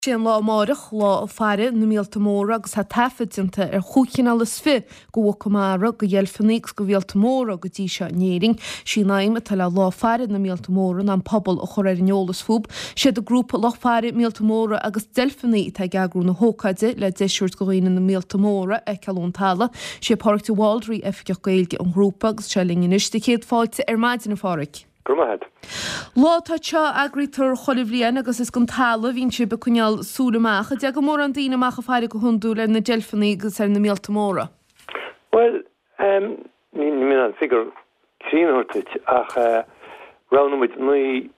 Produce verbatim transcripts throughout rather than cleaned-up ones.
Sé an lá amárach lá faire na míolta móra agus tá taifead déanta ar chúig chineál is fiche de mhuca mara, de dheilfeanna agus de mhíolta móra go dtí seo in Éirinn. Sí an aidhm atá le lá faire na míolta móra ná an pobal a chur ar an eolas fúb. Siad an grúpa Lucht Faire Míolta Móra agus Deilfeanna atá ag eagrú na hócáide le deis a thabhairt do dhaoine na míolta móra a fheiceáil ón talamh. Sé Pádraig de Bhaldraithe oifigeach Gaeilge an ghrúpa agus sé linn anois. Céad fáilte ar maidin a Phádraig. Go raibh maith agat. Lá atá seo eagraítear chuile bhliain agus is den talamh a bhíonn sibh ag coinneáil súil amach. An dtagann mórán daoine amach ag faire go hiondúil ar na deilfeanna agus ar na míolta móra? Bhuel, níl mé in ann figiúr cruinn a thabhairt duit ach roghnaigh muid naoi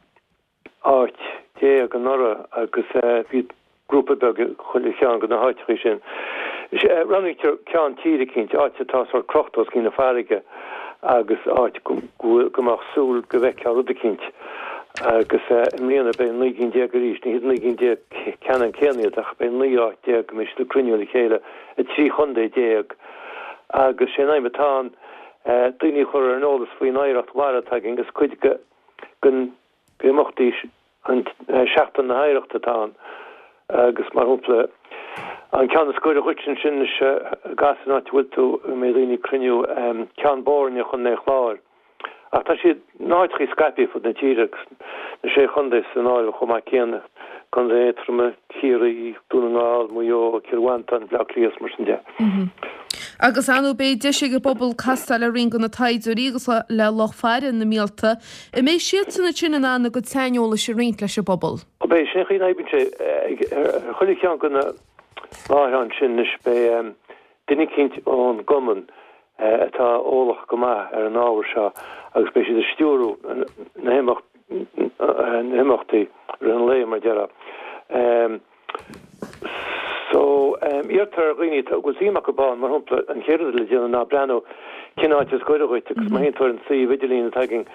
áit déag anuraidh agus bhí grúpa beag i chuile cheann de na háiteachaí sin. Roghnaítear ceann tíre eicínt, áit atá sórt crochta os cionn na farraige agus áit go mbeadh súil go bhfeicfeá rud eicínt. Agus i mbliana beidh naoi gcinn déag arís, ní hiad naoi gcinn déag ceannann céanna iad ach beidh naoi áit déag go mbeidh siad ag cruinniú le chéile i trí chontae déag agus sé an aidhm atá ann daoine a chur ar an eolas faoin oidhreacht mhara atá againn agus cuid den imeachtaí an Seachtain na hOidhreachta atá ann agus mar shampla an ceann is gaire dhuit ansin is gas an áit a bhfuil tú go mbeidh daoine ag cruinniú Ceann Boirne i gContae an Chláir. Ach tá siad in áiteachaí scaipthe fud na tíre agus na sé chontae san áireamh chomh maith céanna, Contae Aontroma, Ciarraí, Dún na nGall, Maigh Eo, Cill Mhantáin, Bleá Cliath is mar sin de. Agus ar ndóigh beidh deis ag an bpobal castáil le roinnt de na taighdeoirí agus le lucht faire na míolta. An mbeidh siadsan ansin in ann a gcuid saineolais a roinnt leis an bpobal? Ó beidh, sin an chaoi a n-oibríonn sé. Ar chuile cheann de na láithreáin sin anois beidh duine eicínt ón gcumann atá eolach go maith ar an ábhar seo agus beidh siad ag stiúrú na himeachtaí i rith an lae, mar a déarfá. So, iarrtar ar dhaoine a bhfuil suim acu ann, mar shampla, an chéad rud le déanamh ná breathnú cén áit is gaire dhuit agus má théann tú ar an suíomh idirlín atá againn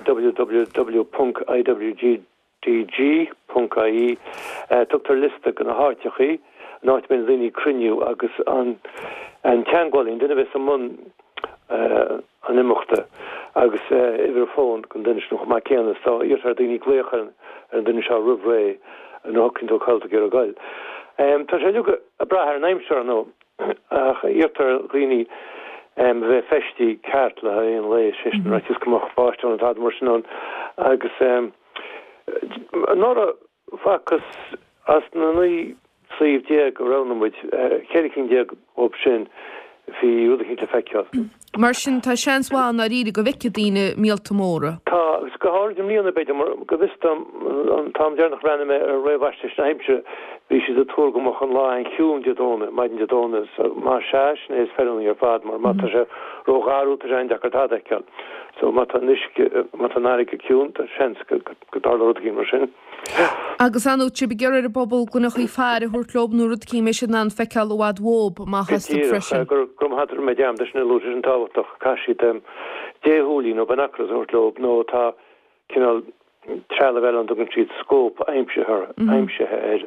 www ponc iwgdg ponc ie tugtar liosta de na háiteachaí, an áit a mbeidh na daoine ag cruinniú agus an teagmhálaí, an duine a bheas i mbun an imeachta agus uimhir fóin don duine sin chomh maith céanna. So iarrtar ar daoine glaoch ar an duine seo roimh ré nuair a shocraíonn tú cá bhfuil tú ag iarraidh goil. Tá sé uilig ag brath ar an aimsir ar ndóigh ach iarrtar ar dhaoine a bheith feistithe ceart le haghaidh an lae, sé sin ar fhaitíos go mbeadh báisteach nó tada mar sin ann agus anuraidh Facthas as na naoi suíomh déag a roghnaigh muid, ceithre cinn déag dhóibh sin, bhí rud eicínt le feiceáil. Mar sin, tá seans mhaith i ndáiríre go bhfeicfidh daoine míolta móra. Tá, agus go háirid i mbliana, b'fhéidir, mar go bhfios dom, an t-am deireanach a bhreathnaigh mé ar réamhaisnéis na haimsire, bhí siad ag tuar go mbeadh an lá an-chiúin Dé Domhnaigh, maidin Dé Domhnaigh, so más ea, sin é is feiliúnaí ar fad, mar má tá sé ró-gharbh, tá sé an-deacair tada a fheiceáil. So má tá an uisce, má tá an fharraige ciúin, tá seans go dtarlódh rud eicínt mar sin. Agus ar ndóigh, tá sibh ag iarraidh ar an bpobal gloineachaí faire a thabhairt leo nó rud eicínt a mbeidh siad in ann feiceáil i bhfad uathu amach Go astu díreach, freisin. go raibh maith agat, rinne mé dearmad é sin a lua, tá sin tábhachtach, caithfidh siad déshúilí nó binoculars a thabhairt leo nó tá cineál trealamh eile ann a dtugann siad scóp aimsithe aimsithe air,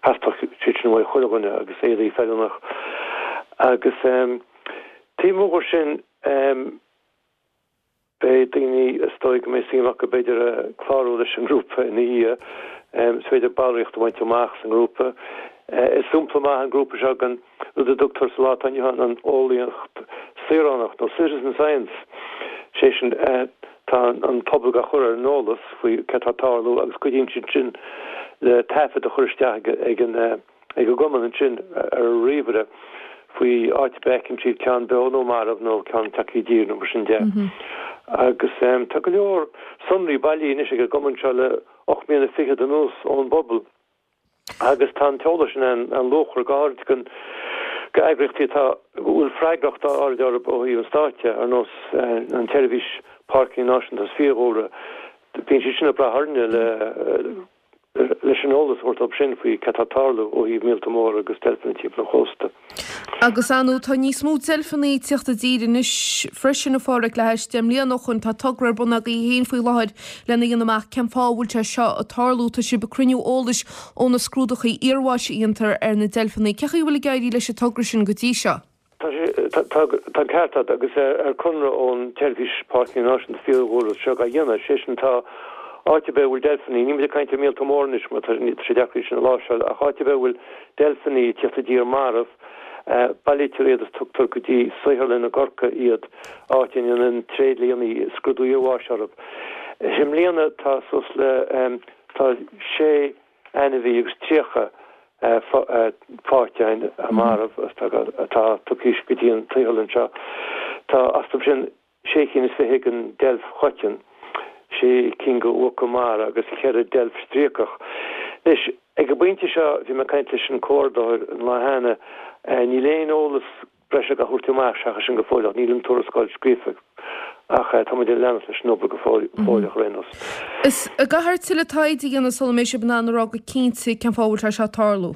theastódh siad sin uaidh chuile dhuine agus éadaí feiliúnach. Agus taobh amuigh dhe sin, Beidh daoine, is dóigh go mbeidh suim acu b'fhéidir clárú leis an ngrúpa ina dhiaidh. Is féidir ballraíocht a bhaint amach sa ngrúpa. Is sampla maith an grúpa seo den rud a dtugtar sa lá atá inniu ann an eolaíocht saoránach nó citizen science. Sé sin, tá an pobal á chur ar an eolas faoi céard atá ag tarlú agus cuidíonn siad sin le taifead a chur isteach ag an ag an gcumann ansin ar an ríomhaire faoi áit ar bith a fheiceann siad ceann beo nó marbh nó ceann tagtha i dtír nó mar sin de. Agus tá go leor sonraí bailithe anois ag an gcumann seo le ocht mbliana fichead anuas ón bpobal agus tá an t-eolas sin an-luachmhar, go háirid don go eagraíochtaí atá a bhfuil freagracht áirid orthu ó thaobh an stáit de, ar nós an tSeirbhís Páirceanna Náisiúnta agus Fiadhúlra. Bíonn siad sin ag brath orainne le leis an eolas a thabhairt dóibh sin faoi cad tá ag tarlú ó thaobh míolta móra agus deilfeanna timpeall an chósta. Agus ar ndóigh tá níos mó deilfeanna ag tíocht i dtír anois freisin, a Phádraig, le hais deich mbliana ó shoin. Tá togra ar bun agaibh féin faoi láthair lena dhéanamh amach cén fáth a bhfuil sé seo ag tarlú. Tá sibh ag cruinniú eolais ó na scrúdachaí iarbháis a dhéantar ar na deilfeanna. Cén chaoi a bhfuil ag éirí leis an togra sin go dtí seo? Tá sé, tá, tá an ceart agat agus ar conradh ón tSeirbhís Páirceanna Náisiúnta Fiadhúlra seo á dhéanamh, sé sin tá Áit ar bith a bhfuil deilfeanna, níl muid ag caint ar mhíolta móra anois mar tá sé deacair iad sin a láimhseáil, ach áit ar bith a bhfuil deilfeanna ag tíocht i dtír marbh, bailítear iad is tugtar go dtí saotharlann i gCorcaigh iad, áit a ndéanann tréidlianna scrúdú iarbháis orthu. I mbliana tá suas le, tá sé ainmhí agus tríocha faighte againn marbh atá tugtha go dtí an tsaotharlann seo. Tá astu sin sé cinn is fiche den deilf choiteann, sé cinn de mhuca mara agus ceithre deilf stríocach. Anois, ag an bpointe seo, bhí mé ag caint leis an comhordaitheoir an lá cheana, níl aon eolas breise á thabhairt amach seachas sin go fóilleach, níl an tuarascáil scríofa ach tá muid ag leanacht leis an obair go fóilleach ar aon nós. Is an gcaithfear tuilleadh taighde a dhéanamh sula mbeidh sibh in ann a rá go cinnte cén fáth a bhfuil sé seo ag tarlú?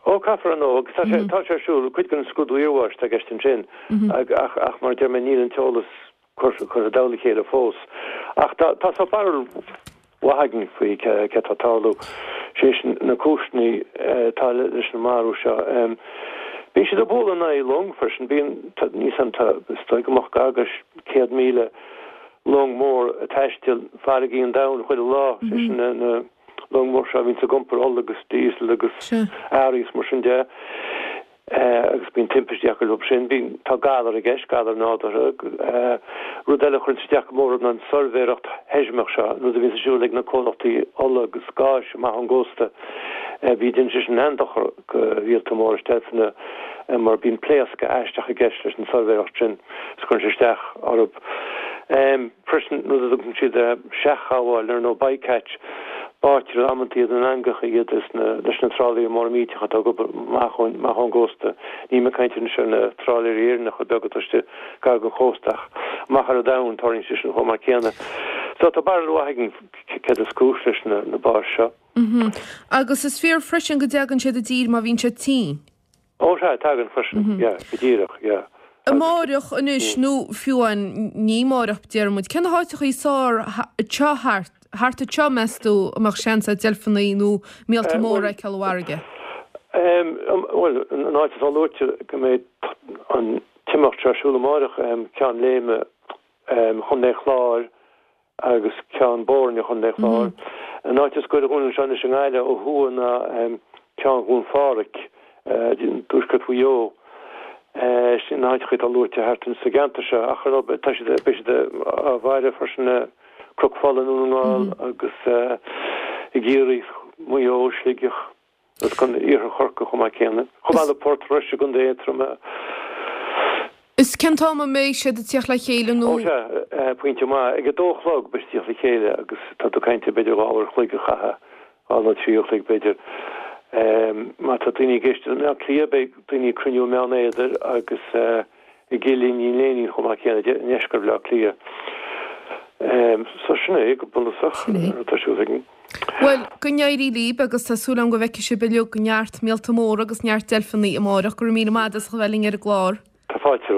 Ó, caithfear ar ndóigh, agus tá sé tá sé ar siúl, cuid den scrúdú iarbháis atá i gceist ansin, ach ach mar a deir mé níl an t-eolas curtha i dtoll a chéile fós. Ach tá tá sórt barúil mhaith againn faoi cé cé atá ag tarlú, sé sin na cúiseanna atá leis an marú seo. Bíonn siad ag bualadh in aghaidh long freisin, bíonn, tá, níl 's a'm, tá, is dóigh go mbeadh gar do céad míle long mór ag taisteal farraigí an domhain chuile lá, sé sin na na long mór seo a bhíonns ag iompar ola agus diesel agus earraí is mar sin de agus bíonn timpistí acu leo sin. Bíonn, tá galar i gceist, galar nádúrtha. Rud eile a chuireann isteach go mór orthu ná an tsuirbhéireacht sheismeach seo, an rud a bhíonns ar siúl ag na comhlachtaí ola agus gáis amach ón gcósta. Bhí, déanann sé sin an-dochar do mhíolta móra is deilfeanna mar bíonn pléascadh aisteach i gceist leis an tsuirbhéireacht sin is cuireann sé isteach orthu. Freisin, rud a dtugann siad seachghabháil air nó bycatch, báitear amanta iad in eangacha iad leis na trálaeirí móra millteacha atá ag obair amach ón gcósta. Níl mé ag caint anois ar na trálaeirí Éireannacha beaga atá istigh gar don chósta ach amach ar an domhan tarlaíonn sé sin chomh maith céanna. So tá barúil mhaith againn céard is cúis leis na báis seo. Agus is fíor freisin go dtagann siad i dtír má bhíonn siad tinn. Ó sea, tagann freisin, yeah, go díreach, yeah. Amáireach anois nó fiú amháin ní amáireach déarfaidh muid, cé na háiteacha is fearr anseo thart, thart anseo meas tú a mbeadh seans a'd deilfeanna nó míolta móra a fheiceáil i bhfarraige? Bhuel, an áit atá luaite go mbeidh an t-imeacht seo ar siúl amáireach, Ceann Léime, Chontae Chláir, agus Ceann Boirne Chontae Chláir. An áit is gaire dhúinn anseo anois i nGaillimh ó thuaidh ná Ceann Dhún Phádraig, i dtuaisceart Mhaigh Eo. Sin na háiteacha atá luaite thart sa gceantar seo ach ar ndóigh tá siad, beidh siad á bhfaire freisin i Cnoc Fola i nDún na nGall agus i gCiarraí, Maigh Eo, Sligeach. Agus go iarthar Chorcaí chomh maith céanna. Chomh maith le Port Rois i gContae Aontroma. Is cén t-am a mbeidh siad ag tíocht le chéile nó? Ó sea, pointe maith. Ag a dó a chlog beidh siad ag tíocht le chéile agus tá tú ag caint ar b'fhéidir dhá uair a chloig a chaitheamh, dhá nó trí uair a chloig b'fhéidir. Má tá daoine ag éisteacht i mBleá Cliath beidh daoine ag cruinniú i mBeann Éadair agus i gCill Iníon Léinín chomh maith céanna, i ndeisceart Bhaile Átha Cliath. So sin é go bunúsach atá ar siúl againn. Bhuel, go n-éirí libh agus tá súil agam go bhfeicfidh sibh uilig neart míolta móra agus neart deilfeanna amáireach. Go raibh míle maith agat as a bheith linn ar an gclár. Tá fáilte romhat.